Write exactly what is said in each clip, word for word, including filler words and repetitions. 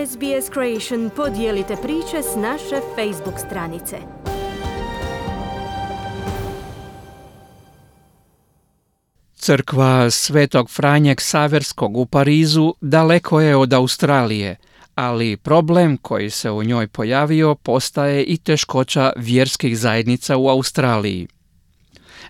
S B S Creation podijelite priče s naše Facebook stranice. Crkva Svetog Franje Ksaverskog u Parizu daleko je od Australije, ali problem koji se u njoj pojavio postaje i teškoća vjerskih zajednica u Australiji.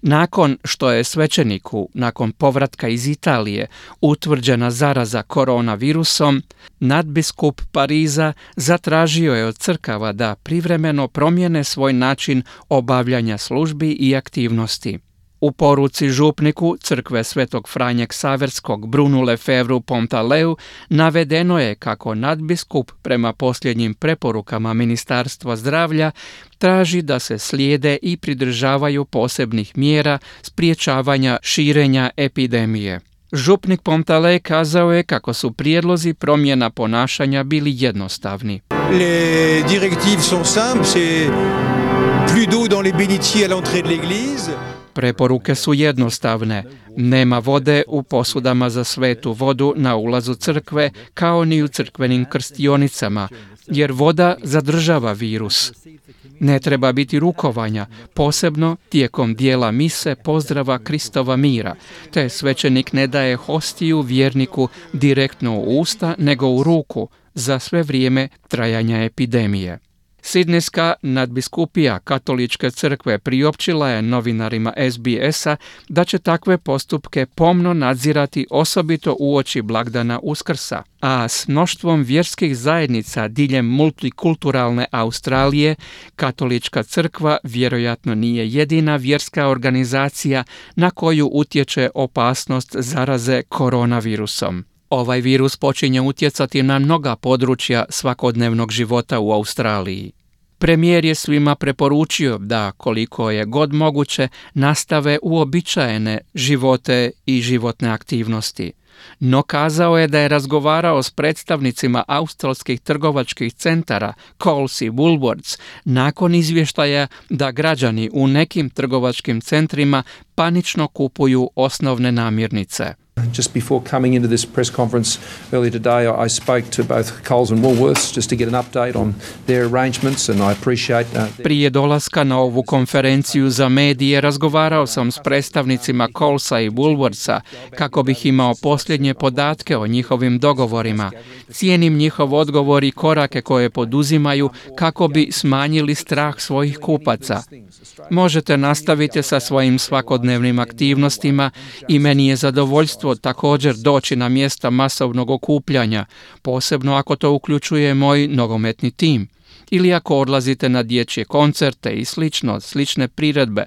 Nakon što je svećeniku, nakon povratka iz Italije, utvrđena zaraza koronavirusom, nadbiskup Pariza zatražio je od crkava da privremeno promijene svoj način obavljanja službi i aktivnosti. U poruci župniku crkve Svetog Franje Ksaverskog Brunu Lefevru Pontaleu navedeno je kako nadbiskup prema posljednjim preporukama Ministarstva zdravlja traži da se slijede i pridržavaju posebnih mjera sprječavanja širenja epidemije. Župnik Pontale kazao je kako su prijedlozi promjena ponašanja bili jednostavni. Les directives sont simples, c'est plus d'eau dans les bénitiers à l'entrée de l'église. Preporuke su jednostavne. Nema vode u posudama za svetu vodu na ulazu crkve, kao ni u crkvenim krstionicama, jer voda zadržava virus. Ne treba biti rukovanja, posebno tijekom dijela mise pozdrava Kristova mira, te svećenik ne daje hostiju vjerniku direktno u usta, nego u ruku za sve vrijeme trajanja epidemije. Sidnejska nadbiskupija Katoličke crkve priopćila je novinarima S B S-a da će takve postupke pomno nadzirati osobito uoči blagdana Uskrsa, a s mnoštvom vjerskih zajednica diljem multikulturalne Australije, Katolička crkva vjerojatno nije jedina vjerska organizacija na koju utječe opasnost zaraze koronavirusom. Ovaj virus počinje utjecati na mnoga područja svakodnevnog života u Australiji. Premijer je svima preporučio da, koliko je god moguće, nastave uobičajene živote i životne aktivnosti. No kazao je da je razgovarao s predstavnicima australskih trgovačkih centara Coles i Woolworths nakon izvještaja da građani u nekim trgovačkim centrima panično kupuju osnovne namirnice. Just before coming into this press conference earlier today, I spoke to both Coles and Woolworths just to get an update on their arrangements, and I appreciate uh, Prije dolaska na ovu konferenciju za medije razgovarao sam s predstavnicima Colesa i Woolworthsa kako bih imao posljednje podatke o njihovim dogovorima. Cijenim njihov odgovor i korake koje poduzimaju kako bi smanjili strah svojih kupaca. Možete nastaviti sa svojim svakodnevnim aktivnostima i meni je zadovoljstvo također doći na mjesta masovnog okupljanja, posebno ako to uključuje moj nogometni tim, ili ako odlazite na dječje koncerte i slično, slične priredbe.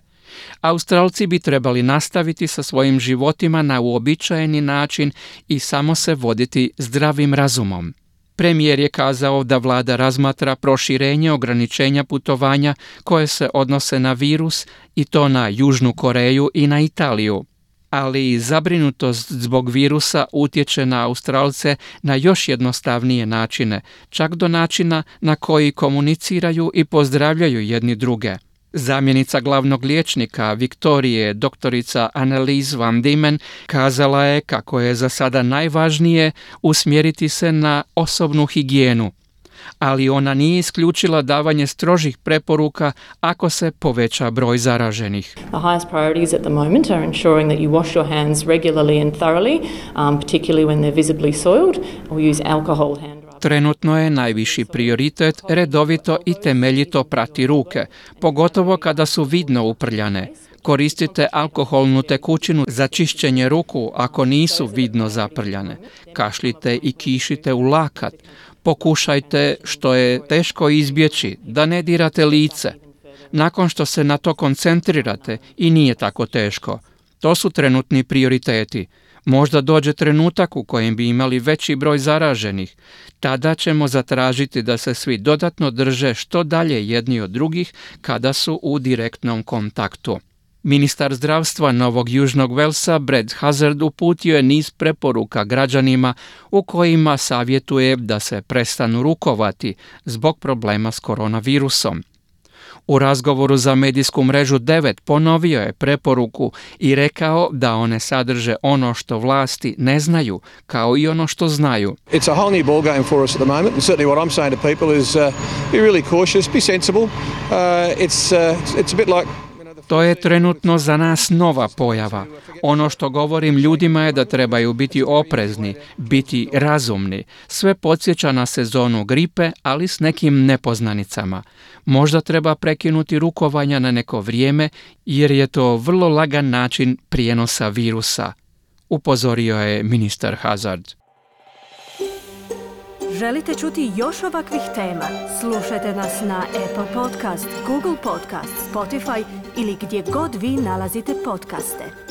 Australci bi trebali nastaviti sa svojim životima na uobičajeni način i samo se voditi zdravim razumom. Premijer je kazao da vlada razmatra proširenje ograničenja putovanja koje se odnose na virus i to na Južnu Koreju i na Italiju. Ali i zabrinutost zbog virusa utječe na Australce na još jednostavnije načine, čak do načina na koji komuniciraju i pozdravljaju jedni druge. Zamjenica glavnog liječnika Viktorije, doktorica Annelies van Diemen, kazala je kako je za sada najvažnije usmjeriti se na osobnu higijenu, ali ona nije isključila davanje strožih preporuka ako se poveća broj zaraženih. The highest priorities at the moment are ensuring that you wash your hands regularly and thoroughly, um, particularly when they're visibly soiled, or use alcohol hand. Trenutno je najviši prioritet redovito i temeljito prati ruke, pogotovo kada su vidno uprljane. Koristite alkoholnu tekućinu za čišćenje ruku ako nisu vidno zaprljane. Kašljite i kišite u lakat. Pokušajte, što je teško izbjeći, da ne dirate lice. Nakon što se na to koncentrirate i nije tako teško. To su trenutni prioriteti. Možda dođe trenutak u kojem bi imali veći broj zaraženih. Tada ćemo zatražiti da se svi dodatno drže što dalje jedni od drugih kada su u direktnom kontaktu. Ministar zdravstva Novog Južnog Velsa Brad Hazzard uputio je niz preporuka građanima u kojima savjetuje da se prestanu rukovati zbog problema s koronavirusom. U razgovoru za medijsku mrežu devet ponovio je preporuku i rekao da one sadrže ono što vlasti ne znaju, kao i ono što znaju. It's a whole new ball game for us at the moment, and certainly what I'm saying to people is uh, be really cautious, be sensible. Uh, it's, uh, it's a bit like... To je trenutno za nas nova pojava. Ono što govorim ljudima je da trebaju biti oprezni, biti razumni. Sve podsjeća na sezonu gripe, ali s nekim nepoznanicama. Možda treba prekinuti rukovanja na neko vrijeme, jer je to vrlo lagan način prijenosa virusa, upozorio je ministar Hazard. Želite čuti još ovakvih tema? Slušajte nas na Apple Podcast, Google Podcast, Spotify ili gdje god vi nalazite podcaste.